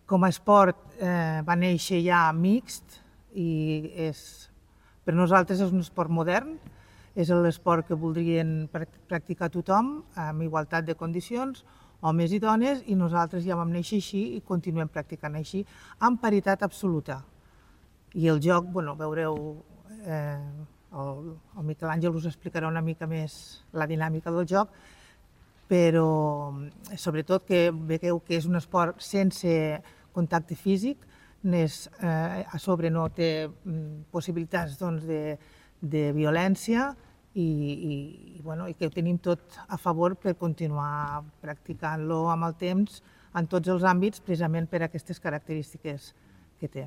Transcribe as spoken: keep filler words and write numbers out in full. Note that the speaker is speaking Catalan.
Com a esport va néixer ja mixt i per nosaltres és un esport modern, és l'esport que voldrien practicar tothom amb igualtat de condicions, homes i dones, i nosaltres ja vam néixer així i continuem practicant així, amb paritat absoluta. I el joc, bueno, veureu, el Miquel Àngel us explicarà una mica més la dinàmica del joc, però sobretot que veieu que és un esport sense contacte físic, a sobre no té possibilitats de violència i que ho tenim tot a favor per continuar practicant-lo amb el temps en tots els àmbits, precisament per aquestes característiques que té.